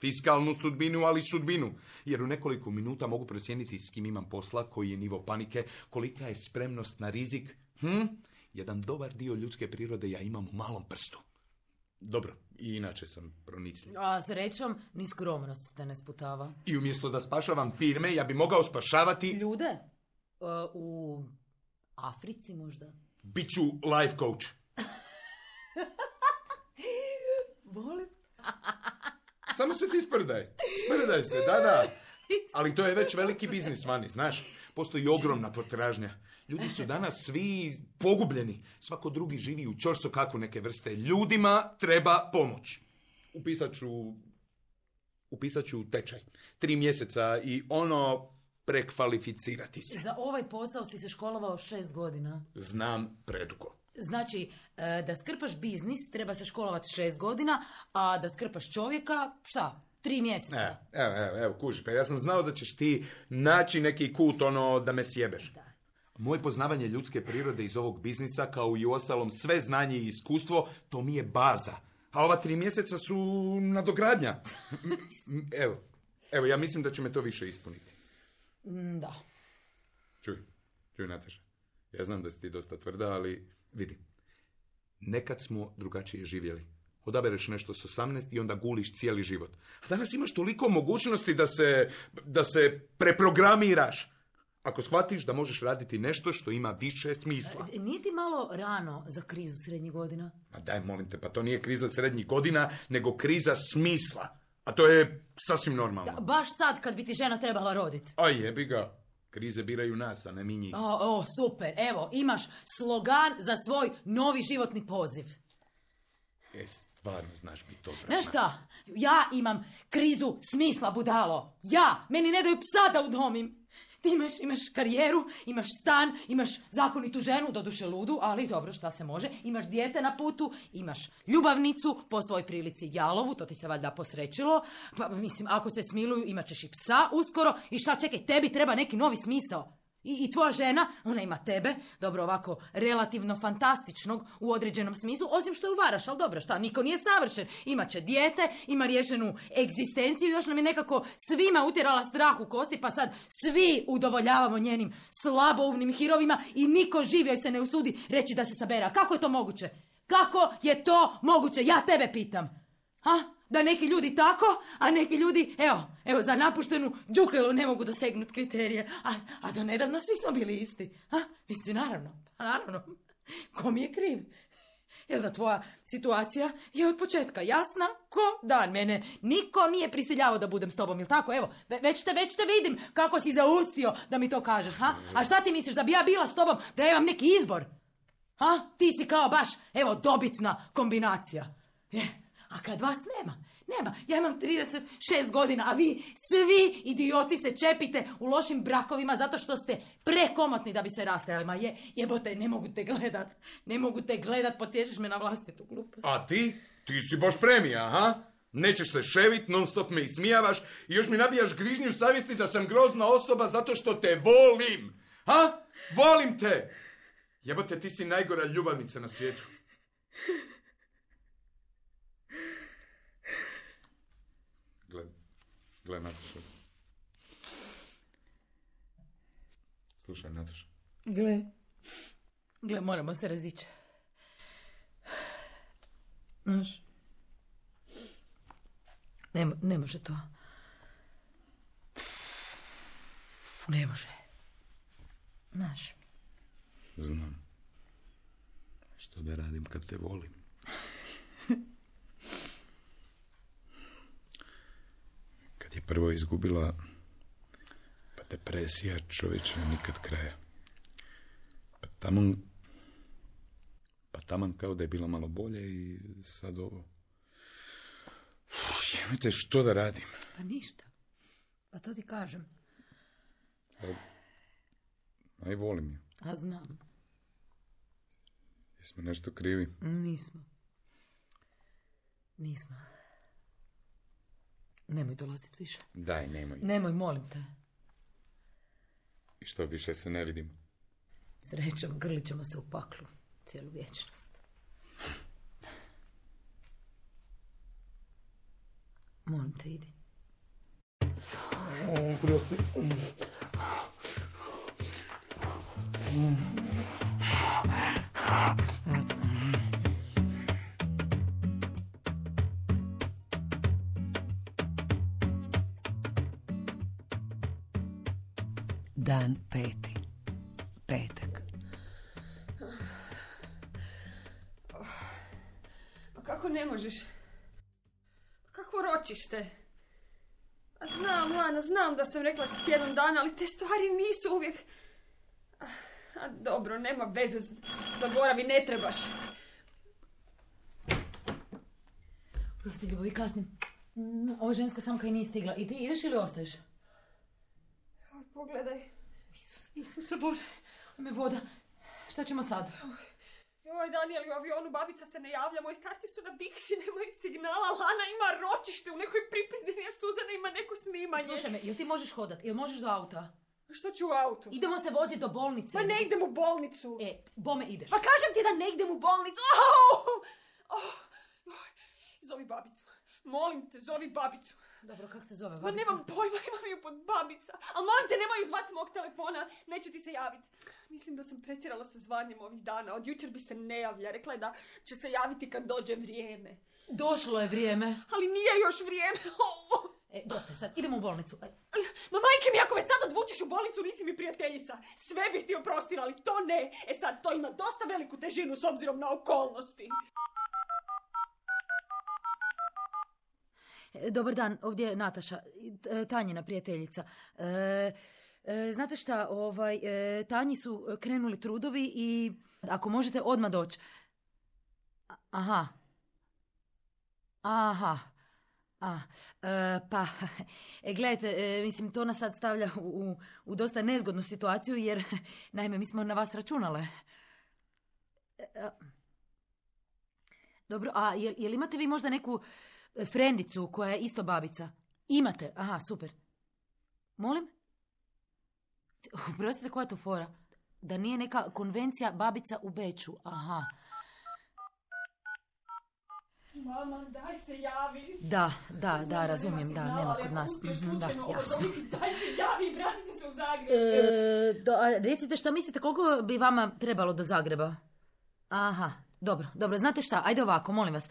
fiskalnu sudbinu, ali sudbinu. Jer u nekoliko minuta mogu procijeniti s kim imam posla, koji je nivo panike, kolika je spremnost na rizik. Jedan dobar dio ljudske prirode ja imam u malom prstu. Dobro, i inače sam pronicljiv. A srećom, ni skromnost te ne sputava. I umjesto da spašavam firme, ja bi mogao spašavati... Ljude? U Africi možda? Biću life coach. Volim. Samo se ti sprdaj. Sprdaj se, da. Ali to je već veliki biznis vani, znaš. Postoji ogromna potražnja. Ljudi su danas svi pogubljeni. Svako drugi živi u ćorsokaku neke vrste. Ljudima treba pomoć. Upisat ću tečaj. 3 mjeseca i prekvalificirati se. Za ovaj posao si se školovao 6 godina. Znam predugo. Znači, da skrpaš biznis treba se školovati 6 godina, a da skrpaš čovjeka, 3 mjeseca. Evo, kuži, pa ja sam znao da ćeš ti naći neki kut da me sjebeš. Da. Moje poznavanje ljudske prirode iz ovog biznisa, kao i u ostalom sve znanje i iskustvo, to mi je baza. A ova 3 mjeseca su nadogradnja. Evo, ja mislim da će me to više ispuniti. Da. Čuj, Nataša. Ja znam da si ti dosta tvrda, ali vidi. Nekad smo drugačije živjeli. Odabereš nešto s 18 i onda guliš cijeli život. A danas imaš toliko mogućnosti da se preprogramiraš. Ako shvatiš da možeš raditi nešto što ima više smisla. Nije ti malo rano za krizu srednjih godina? Ma daj, molim te, pa to nije kriza srednjih godina, nego kriza smisla. A to je sasvim normalno. Da, baš sad kad bi ti žena trebala roditi. A jebi ga. Krize biraju nas, a ne mi njih. Super. Evo, imaš slogan za svoj novi životni poziv. Stvarno znaš biti dobra. Znaš šta? Ja imam krizu smisla, budalo. Meni ne daju psa da udomim. Ti imaš karijeru, imaš stan, imaš zakonitu ženu, doduše ludu, ali dobro, šta se može. Imaš dijete na putu, imaš ljubavnicu, po svoj prilici jalovu, to ti se valjda posrećilo. Pa mislim, ako se smiluju, imat ćeš i psa uskoro. I šta, čekaj, tebi treba neki novi smisao. I tvoja žena, ona ima tebe, dobro ovako, relativno fantastičnog u određenom smislu, osim što ju varaš, ali dobro, šta, niko nije savršen. Imaće dijete, ima riješenu egzistenciju, još nam je nekako svima utjerala strah u kosti, pa sad svi udovoljavamo njenim slaboumnim hirovima i niko živ joj se ne usudi reći da se sabere. A kako je to moguće? Kako je to moguće? Ja tebe pitam. Da neki ljudi tako, a neki ljudi, evo, za napuštenu džukelu ne mogu dosegnuti kriterije. A do nedavno svi smo bili isti. Mislim, naravno. Ko mi je kriv? Jel da tvoja situacija je od početka jasna ko dan. Mene niko nije prisiljavao da budem s tobom, jel tako? Evo, već te vidim kako si zaustio da mi to kažeš. A šta ti misliš, da bi ja bila s tobom, da imam neki izbor? Ti si kao baš, evo, dobitna kombinacija. A kad vas nema, ja imam 36 godina, a vi svi idioti se čepite u lošim brakovima zato što ste prekomotni da bi se rastajali. Ma jebote, ne mogu te gledat, podsjećaš me na vlastitu glupost. A ti? Ti si baš premija, Nećeš se ševit, non stop me ismijavaš i još mi nabijaš grižnju savjesti da sam grozna osoba zato što te volim. Volim te! Jebote, ti si najgora ljubavnica na svijetu. Gle, Nataša. Slušaj, Nataša. Gle, moramo se razići. Znaš, ne može to. Ne može. Znaš. Znam. Što da radim kad te volim? Kad je prvo izgubila, pa depresija, čovječe, nikad kraja. Pa taman kao da je bila malo bolje i sad ovo. Jemite, što da radim? Pa ništa. Pa to ti kažem. A i volim je. A znam. Jesmo nešto krivi? Nismo. Nemoj dolaziti više. Daj, nemoj. Nemoj, molim te. I što, više se ne vidimo? Srećom, grlit ćemo se u paklu cijelu vječnost. Molim te, idi. Dan 5. Petak. Pa kako ne možeš? Kako ročište? A znam, Lana, znam da sam rekla si tjedan dana, ali te stvari nisu uvijek... A dobro, nema veze, zaboravi, ne trebaš. Prosti, ljubavi, kasnim. Ova ženska samka i nije stigla. I ti ideš ili ostaješ? Pogledaj. Isuse Bože, me voda. Šta ćemo sad? Joj, Daniel, u avionu babica se ne javlja, moji starci su na Biksi, nemaju signala, Lana ima ročište, u nekoj pripizdini, a Suzana ima neko snimanje. Slušaj me, jel ti možeš hodat? Jel možeš do auta? Što ću u autu? Idemo se voziti do bolnice. Pa ne idem u bolnicu. Bome ideš. Pa kažem ti da ne idem u bolnicu. Zovi babicu. Molim te, zovi babicu. Dobro, kako se zove Ma babica? nemam pojma, imam ju pod babica. Ali molim te, nemoj ju zvat s mog telefona, neće ti se javiti. Mislim da sam pretjerala sa zvanjem ovih dana. Od jučer bi se ne javlja. Rekla je da će se javiti kad dođe vrijeme. Došlo je vrijeme. Ali nije još vrijeme. Dosta je sad, idemo u bolnicu. Ma majke mi, ako me sad odvučeš u bolnicu, nisi mi prijateljica. Sve bih ti oprostila, ali to ne. Sad, to ima dosta veliku težinu s obzirom na okolnosti. Dobar dan, ovdje je Nataša, Tanjina prijateljica. Znate šta, Tanji su krenuli trudovi i ako možete odmah doći. Aha. Pa, gledajte, mislim, to nas sad stavlja u dosta nezgodnu situaciju, jer, naime, mi smo na vas računale. Dobro, a jel imate vi možda neku frendicu koja je isto babica? Imate? Aha, super. Molim? Oprostite, koja je to fora? Da nije neka konvencija babica u Beču? Aha. Mama, daj se javi. Da, razumijem, da, nema kod nas. Da, jasno. Daj se javi i vratite se u Zagreb. Recite šta mislite, koliko bi vama trebalo do Zagreba? Aha, dobro, znate šta, ajde ovako, molim vas.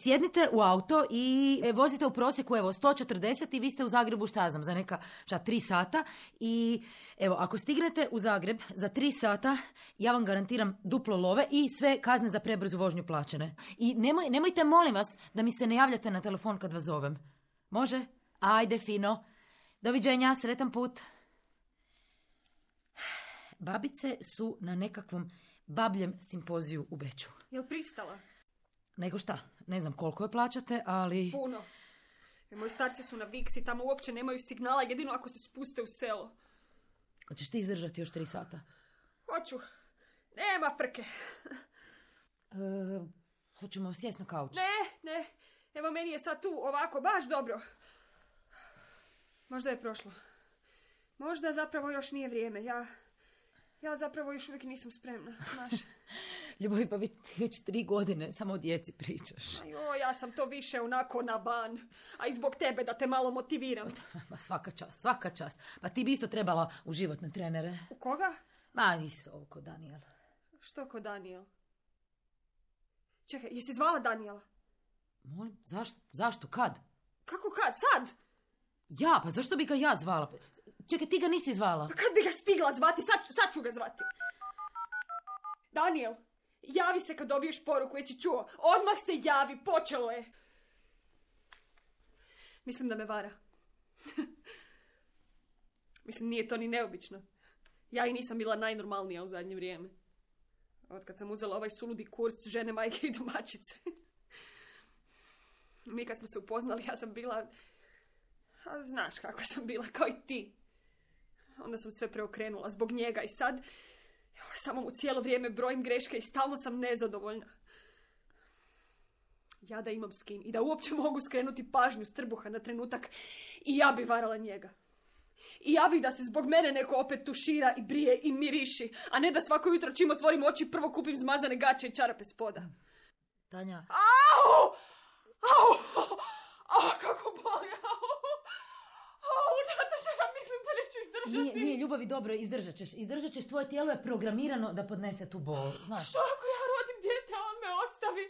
Sjednite u auto i vozite u prosjeku, 140 i vi ste u Zagrebu, šta ja znam, za neka 3 sata. I evo, ako stignete u Zagreb za 3 sata, ja vam garantiram duplo love i sve kazne za prebrzu vožnju plaćene. I nemojte, molim vas, da mi se ne javljate na telefon kad vas zovem. Može? Ajde, fino. Doviđenja, sretan put. Babice su na nekakvom babljem simpoziju u Beču. Jel pristala? Nego šta? Ne znam koliko je plaćate, ali... Puno. Moji starci su na Viksi, tamo uopće nemaju signala, jedino ako se spuste u selo. Hoćeš ti izdržati još 3 sata? Hoću. Nema frke. Hoćemo sjesti na kauč? Ne. Evo, meni je sad tu ovako, baš dobro. Možda je prošlo. Možda zapravo još nije vrijeme. Ja zapravo još uvijek nisam spremna, znaš. Ljubavi, pa već 3 godine samo o djeci pričaš. Ja sam to više onako na ban. A i zbog tebe da te malo motiviram. Ma svaka čast. Pa ti bi isto trebala u životne trenere. U koga? Ma, nisi ovo ko Daniel. Što ko Daniel? Čekaj, jesi zvala Daniela? Molim, zašto? Kad? Kako kad? Sad? Ja, pa zašto bi ga ja zvala? Čekaj, ti ga nisi zvala. Pa kad bi ga stigla zvati? Sad ću ga zvati. Daniel, javi se kad dobiješ poruku, jesi čuo? Odmah se javi, počelo je. Mislim da me vara. Mislim, nije to ni neobično. Ja i nisam bila najnormalnija u zadnje vrijeme. Od kad sam uzela ovaj suludi kurs žene, majke i domaćice. Mi kad smo se upoznali, ja sam bila... A znaš kako sam bila, kao i ti. Onda sam sve preokrenula zbog njega i sad... Samo mu cijelo vrijeme brojim greške i stalno sam nezadovoljna. Ja da imam s kim i da uopće mogu skrenuti pažnju s trbuha na trenutak i ja bi varala njega. I ja bih da se zbog mene neko opet tušira i brije i miriši, a ne da svako jutro čim otvorim oči prvo kupim zmazane gaće i čarape spoda. Tanja. Au! kako boli. Nataša, ja mislim da neću izdržati. Nije ljubavi, dobro, izdržat ćeš, tvoje tijelo je programirano da podnese tu bol, znaš. Što ako ja rodim dijete, a on me ostavi?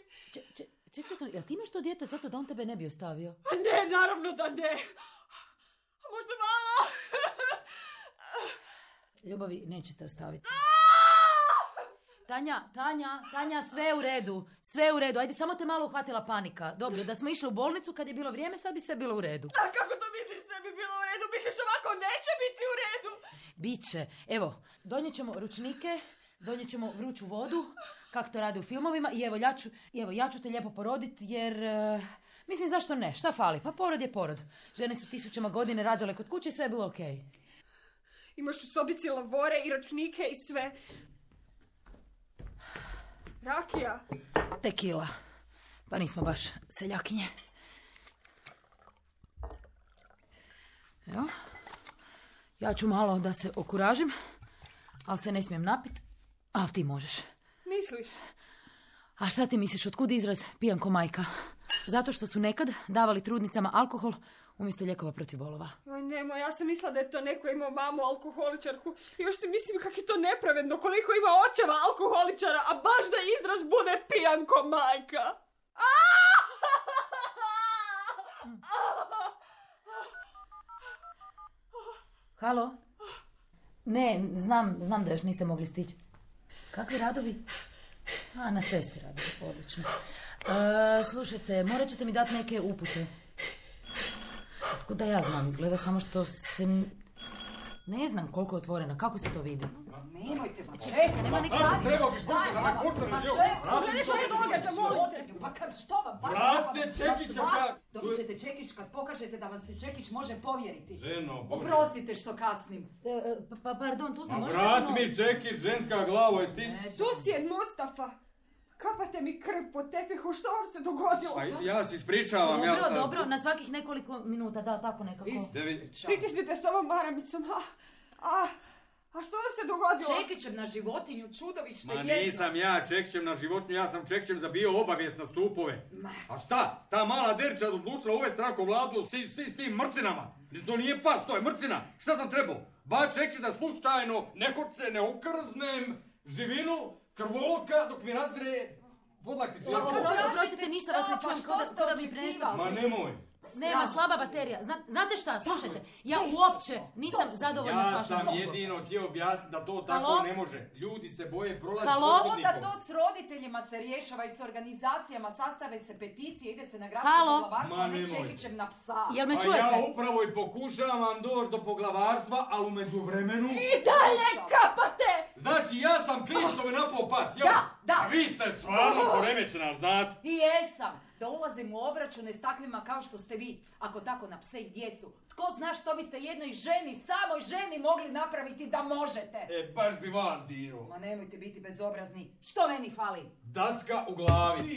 Čekaj, jel ti imaš to dijete zato da on tebe ne bi ostavio? Ne, naravno da ne. A možda malo. Ljubavi, nećete ostaviti. Tanja, sve je u redu. Ajde, samo te malo uhvatila panika. Dobro, da smo išli u bolnicu kad je bilo vrijeme, sad bi sve bilo u redu. A kako to misliš sve bi bilo u redu? Misliš ovako neće biti u redu? Biće. Evo, donijet ćemo ručnike, donijet ćemo vruću vodu, kako to rade u filmovima, i ja ću te lijepo poroditi, jer... mislim, zašto ne? Šta fali? Pa porod je porod. Žene su 1000 godina rađale kod kuće i sve je bilo okej. Imaš u sobici lavore i ručnike i sve. Rakija. Tekila. Pa nismo baš seljakinje. Evo. Ja ću malo da se okuražim, ali se ne smijem napit, ali ti možeš. Misliš? A šta ti misliš, otkud izraz pijan ko majka? Zato što su nekad davali trudnicama alkohol umjesto lijekova protiv bolova. Oj, nemoj, ja sam mislila da je to neko imao mamu alkoholičarku. I još si mislim kako je to nepravedno, koliko ima očeva alkoholičara, a baš da izraz bude pijan ko majka. Halo? Ne, znam da još niste mogli stići. Kakvi radovi? Na cesti radovi, odlično. Slušajte, morat ćete mi dati neke upute. Otkud da ja znam, izgleda samo što se... Ne znam koliko je otvorena, kako se to vidi? Nemojte, Češće, nema neki radi. Gledaj što se događa, molite. Pa što vam? Vrate, Čekića kad... Dobit ćete Čekić kad pokažete da vam se Čekić može povjeriti. Ženo, Bože. Oprostite što kasnim. Pardon, tu sam Ma možda... vrat mi Čekić, ženska glavo, jesi ti... Susjed Mustafa. Kapate mi krv po tepihu, što vam se dogodilo? Pa ja se ispričavam. Dobro, na svakih nekoliko minuta, da, tako nekako. Pritisnite s ovom maramicom, a što vam se dogodilo? Čekićem na životinju, čudovište jedno. Ma nisam ja Čekićem na životinju, ja sam Čekićem zabio obavijest na stupove. A šta? Ta mala derča odlučila uvesti rako vladu s tim mrcinama. To nije pas, to je mrcina. Šta sam trebao? Ba Čekić da slučajno nehoce ne okrznem živinu krvoloka dok mi razdire podlakticu. Oprostite, ništa vas ne čujem, ko da mi prešta. Ma nemoj. Nema, slaba baterija. Znate šta, slušajte, ja uopće nisam zadovoljna s vašom Ja sam poslom. jedino htio objasniti da to tako ne može. Ljudi se boje prolaziti Onda to s roditeljima se rješava i s organizacijama, sastave se peticije, ide se na gradsko poglavarstvo, a ne Čekićem na psa. Jel me Pa čujete? ja upravo i pokušavam doći do poglavarstva, ali u međuvremenu... I dalje kapate! Znači, ja sam kriv što me napao pas, jel? Da. A vi ste stvarno poremećena, znate? I jesam, da ulazim u obračune s takvima kao što ste vi, ako tako na pse i djecu. Tko zna što biste jednoj ženi, samoj ženi mogli napraviti da možete? Baš bi vas dirao. Ma nemojte biti bezobrazni. Što meni fali? Daska u glavi.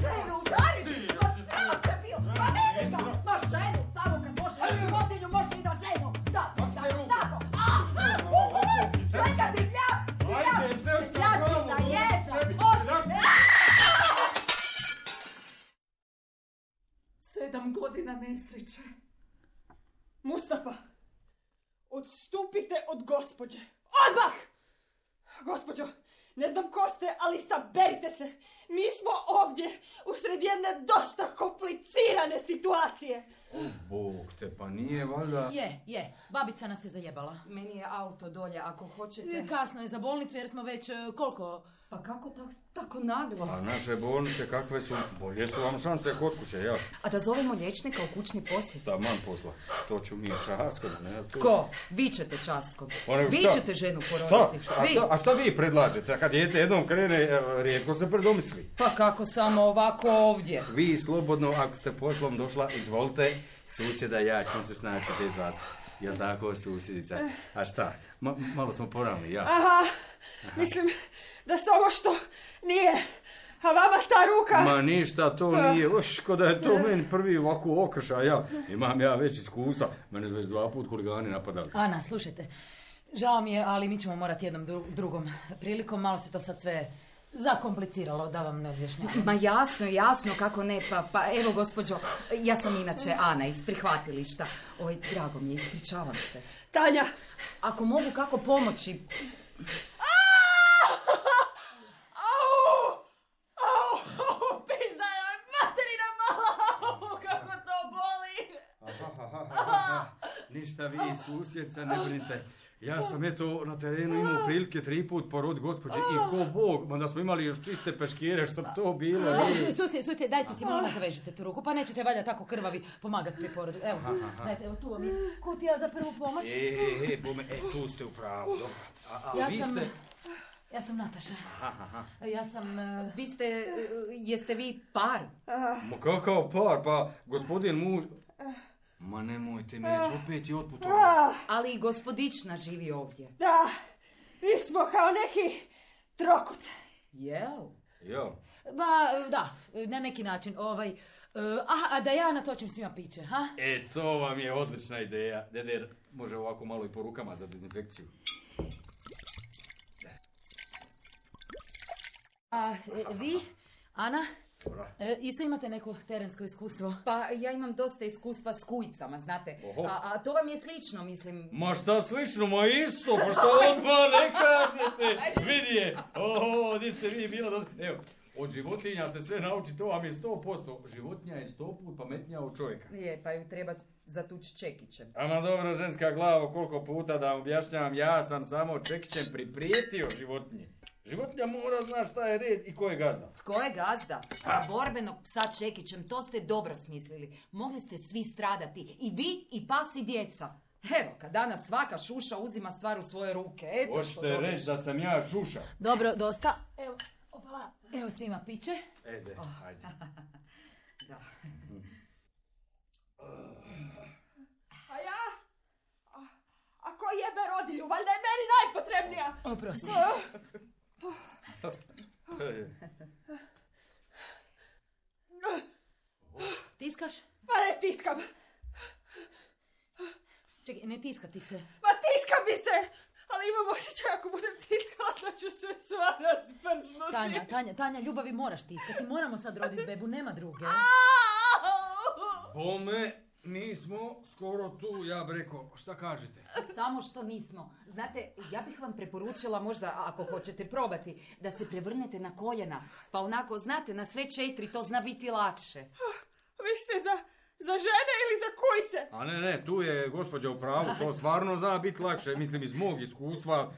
Ženu udariti! Ma sram te bio! Ma ne ga! Ma ženu, samo kad može životinju, može i da ženu! Da, tako! Čekaj, divljačina jedna! Oči! 7 godina nesreće. Mustafa, odstupite od gospođe. Odmah! Gospođo, ne znam ko ste, ali saberite se. Mi smo ovdje usred jedne dosta komplicirane situacije. O, Bog te, pa nije valjda... Je, babica nas je zajebala. Meni je auto dolje, ako hoćete. Kasno je za bolnicu jer smo već koliko... Pa kako tako naglo? A naše bolnice kakve su? Bolje su vam šanse kod kuće, ja. A da zovemo liječnika u kućni posjet? Taman posla. To ću mi časkom, ne? Tko? Vi ćete časkom. Vi ćete ženu poroditi. A šta vi predlažete? Kad dijete jednom krene, rijetko se predomisli. Pa kako samo ovako ovdje? Vi slobodno, ako ste poslom došla, izvolite, susjeda ja ćemo se snaći bez vas. Jel tako, susjedica? A šta? Malo smo poravni, ja. Aha, mislim da samo što nije, a vama ta ruka... Ma ništa, to nije, ko da je to meni prvi ovako okršaj, ja. Imam ja već iskustva, mene već 2 put huligani napadali. Ana, slušajte, žao mi je, ali mi ćemo morati jednom drugom prilikom, malo se to sad sve zakompliciralo, da vam ne objašnjavam. Ma jasno, kako ne, pa evo gospođo, ja sam inače Ana iz prihvatilišta. Drago mi je, ispričavam se. Tanja! Ako mogu kako pomoći... Pizda je materina mala! Kako to boli! Ništa vi, susjedca, ne brinite. Ja sam eto na terenu imao prilike 3 put poroditi gospođe i ko Bog, onda smo imali još čiste peškire, što to bilo. Susjed, dajte si molim zavežite tu ruku, pa nećete valjda tako krvavi pomagati pri porodu. Evo, dajte, evo tu vam je kutija za prvu pomoć. Tu ste u pravu, dobro. A vi ste... Ja sam Nataša. Ja sam... Jeste vi par? Ma kakav par, pa gospodin muž... Ma nemojte me reći, opet je otputovao. Ali i gospodična živi ovdje. Da, mi smo kao neki trokut. Jel? Da, na neki način. A da ja natočim svima piće, ha? To vam je odlična ideja. Deder, može ovako malo i po rukama za dezinfekciju. A vi, Ana? Isto imate neko terensko iskustvo? Pa ja imam dosta iskustva s kujicama, znate. A to vam je slično, mislim. Ma šta slično, ma isto, pa šta odmah ne kažete? Vidi je, di ste vi bilo. Evo, od životinja se sve nauči, to vam je 100%. Životinja je 100 put pametnija od čovjeka. Pa ju treba zatući čekićem. Ama dobro, ženska glava, koliko puta da vam objašnjavam, ja sam samo čekićem priprijetio životinje. Životinja mora zna šta je red i ko je gazda. Tko je gazda? Na borbenog psa čekićem, to ste dobro smislili. Mogli ste svi stradati, i vi, i pas, i djeca. Evo, kad danas svaka šuša uzima stvar u svoje ruke. Hoćete reći da sam ja šuša? Dobro, dosta. Evo, evo svima piće. Ajde. Da. A ja? A ko jebe rodilju? Valjda je meni najpotrebnija. Oprosti. Tiskaš? Pa ne tiskam. Čekaj, ne tiskati se. Pa tiskam mi se! Ali imam osjećaj ako budem tiskala da ću se sva rasprznuti. Tanja, ljubavi moraš tiskati. Moramo sad roditi bebu, nema druge. Bome, mi smo skoro tu, ja bih rekao. Šta kažete? Samo što nismo. Znate, ja bih vam preporučila možda, ako hoćete probati, da se prevrnete na koljena. Pa onako, znate, na sve 4 to zna biti lakše. Vi ste za žene ili za kujce? A ne, tu je gospođa u pravu, to stvarno zna biti lakše, mislim iz mog iskustva,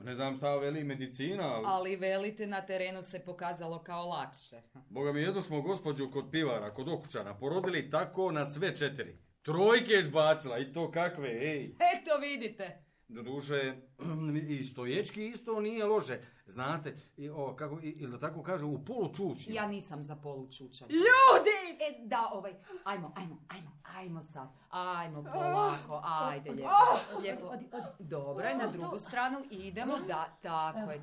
ne znam šta veli medicina. Ali velite, na terenu se pokazalo kao lakše. Boga mi, jedno smo gospođu kod pivara, kod okućana, porodili tako na sve 4. 3 je izbacila i to kakve, ej. Eto vidite. Doduše, i stoječki isto nije loše. Znate, ili da tako kažu, u polučučju. Ja nisam za polučučanje. Ljudi! Ajmo sad. Ajmo polako, ajde lijepo. Dobro je, na drugu stranu idemo. Da,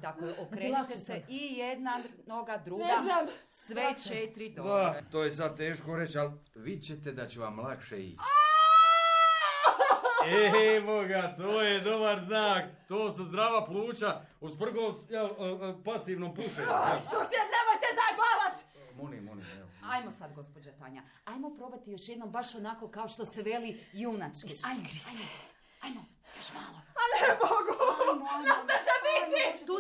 tako je. Okrenite se i jedna noga, druga. Ne znam. Sve 4 dobro. Da, to je sad teško reći, ali vidjet ćete da će vam lakše ići. Evo ga, to je dobar znak. To su zdrava pluća usprkos pasivnom pušenju. Susjed, nemojte zajbavat! Molim, evo. Ajmo sad, gospođa Tanja. Ajmo probati još jednom baš onako kao što se veli junački. Ajmo, još malo. A ne mogu! Nataša, nisi! Tu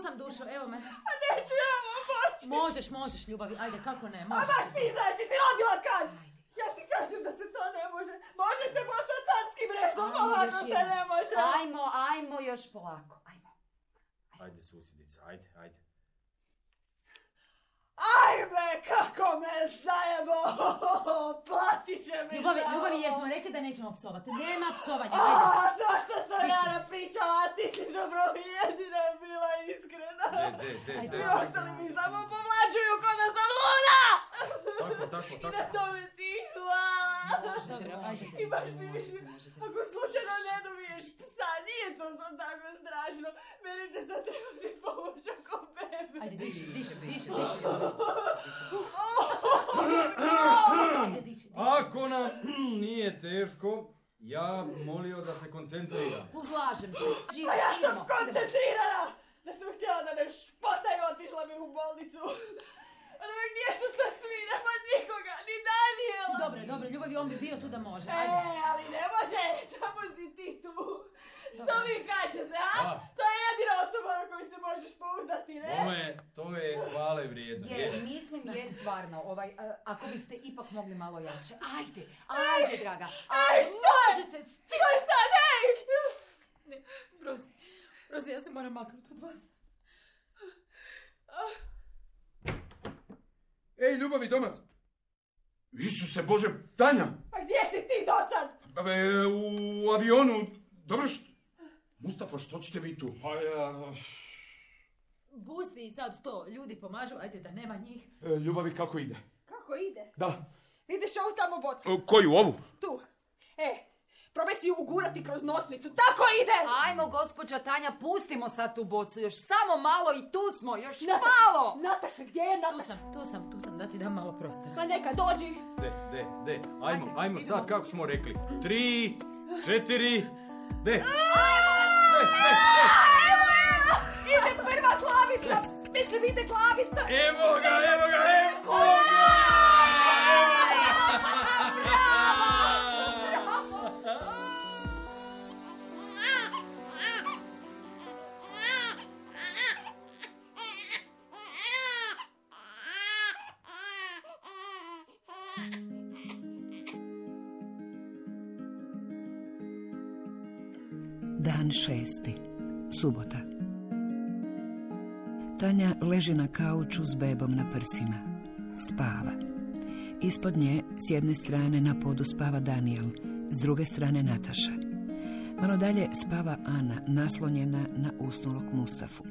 sam, dušo, evo me. A neću ja vam moći! Možeš, ljubavi, ajde, kako ne, A možeš. baš ti znaš, si rodila kad? Ja ti kažem da se to ne može. Može se možda carskim režom, ovako se ne može. Ajmo još polako, ajmo. Ajde, susjedica, ajde. Ajme, kako me zajebo! Platit će mi Ljubavi, jesmo rekli da nećemo psovati. Nema psovanja, ajde. ajde. Svašta sam ja napričala, a ti si zapravo jedina bila iskrena. Svi ostali mi samo povlađuju ko da sam luda! Tako. I na tome ti hvala. I baš si mislim, ako slučajno ne dobiješ psa, nije to sad tako strašno. Meni će sad trebati pomoć oko bebe. Ajde, diši. Ako nam nije teško, ja molio da se koncentrira. Uzlažem se. A ja sam koncentrirana! Da sam htjela da me špataju, otišla bi u bolnicu. A da me gdje su sad svi, nema nikoga, ni Daniela. Dobro, Ljubavi, on bi bio tu da može. Ajde. Ali ne može, samo si ti tu. Što vi kažete, a? To je jedina osoba na koju se možeš pouzdati, ne? To je hvale vrijedno. Mislim, stvarno, ako biste ipak mogli malo jače. Ajde, draga. Što? Možete. Što je sad, ej? Ne, prosti, ja se moram maknuti od vas. Ej, Ljubavi, doma sam. Isuse Bože, Tanja! Pa gdje si ti dosad? U avionu. Dobro što... Mustafa, što ćete vi tu? Pusti sad to, ljudi pomažu, ajde da nema njih. Ljubavi, kako ide? Kako ide? Da. Vidiš ovu tamo bocu? Koju, ovu? Tu. Probaj si ju ugurati kroz nosnicu. Tako ide! Ajmo, gospođa Tanja, pustimo sad tu bocu. Još samo malo i tu smo, još malo! Nataša, gdje je Nataša? Tu sam, da ti dam malo prostora. Ma neka, dođi! Ajmo sad, kako smo rekli. 3, 4, Ide prva glavica! Mislim, ide glavica! Evo ga! Dan 6. Subota. Tanja leži na kauču s bebom na prsima. Spava. Ispod nje, s jedne strane na podu spava Daniel, s druge strane Nataša. Malo dalje spava Ana, naslonjena na usnulog Mustafu.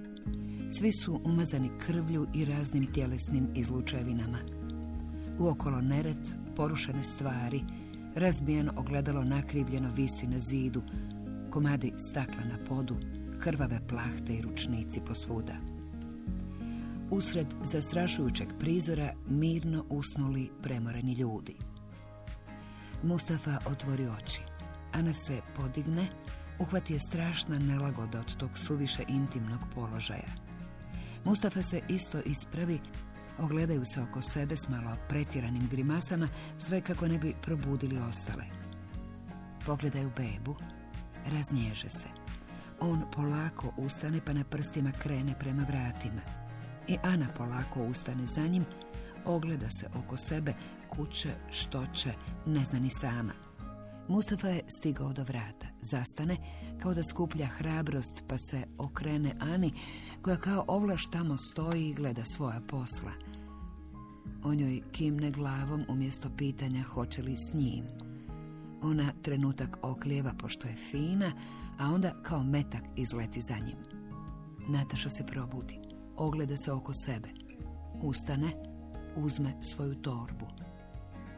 Svi su umazani krvlju i raznim tjelesnim izlučevinama. Uokolo nered, porušene stvari, razbijeno ogledalo nakrivljeno visi na zidu, komadi stakla na podu, krvave plahte i ručnici posvuda. Usred zastrašujućeg prizora mirno usnuli premoreni ljudi. Mustafa otvori oči. Ana se podigne, uhvati je strašna nelagoda od tog suviše intimnog položaja. Mustafa se isto ispravi, ogledaju se oko sebe s malo pretjeranim grimasama, sve kako ne bi probudili ostale. Pogledaju bebu, raznježe se. On polako ustane pa na prstima krene prema vratima. I Ana polako ustane za njim, ogleda se oko sebe, kuće, što će, ne zna ni sama. Mustafa je stigao do vrata, zastane, kao da skuplja hrabrost, pa se okrene Ani, koja kao ovlaš tamo stoji i gleda svoja posla. On joj kimne glavom umjesto pitanja hoće li s njim. Ona trenutak oklijeva pošto je fina, a onda kao metak izleti za njim. Nataša se probudi, ogleda se oko sebe. Ustane, uzme svoju torbu.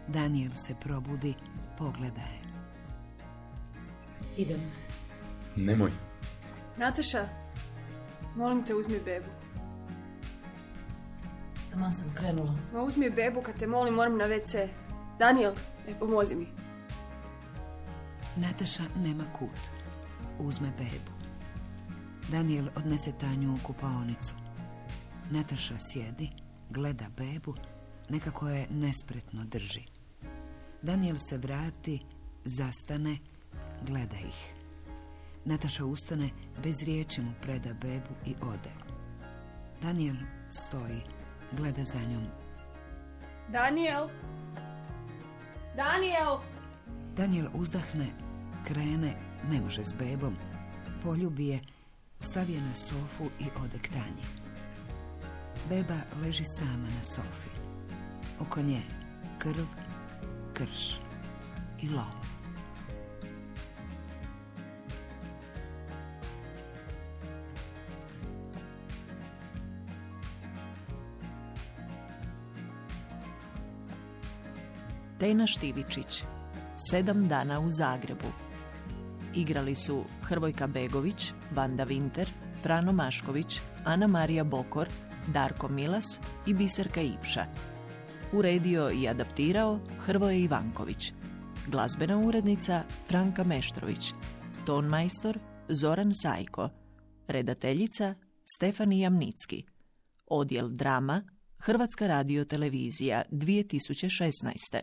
Daniel se probudi, pogleda je. Idem. Nemoj. Nataša, molim te, uzmi bebu. Taman sam krenula. Ma uzmi bebu, kad te molim, moram na WC. Daniel, pomozi mi. Nataša nema kut. Uzme bebu. Daniel odnese Tanju u kupaonicu. Nataša sjedi, gleda bebu, nekako je nespretno drži. Daniel se vrati, zastane, gleda ih. Nataša ustane, bez riječi mu preda bebu i ode. Daniel stoji, gleda za njom. Daniel! Daniel! Daniel uzdahne, krene, ne može s bebom, poljubi je, stavi je na sofu i ode k Tanji. Beba leži sama na sofi. Oko nje krv, krš i lom. Tena Štivičić, 7 dana u Zagrebu. Igrali su Hrvojka Begović, Vanda Vinter, Frano Mašković, Ana Marija Bokor, Darko Milas i Biserka Ipša. Uredio i adaptirao Hrvoje Ivanković. Glazbena urednica Franka Meštrović. Ton majstor Zoran Sajko. Redateljica Stefani Jamnicki. Odjel drama, Hrvatska radiotelevizija 2016.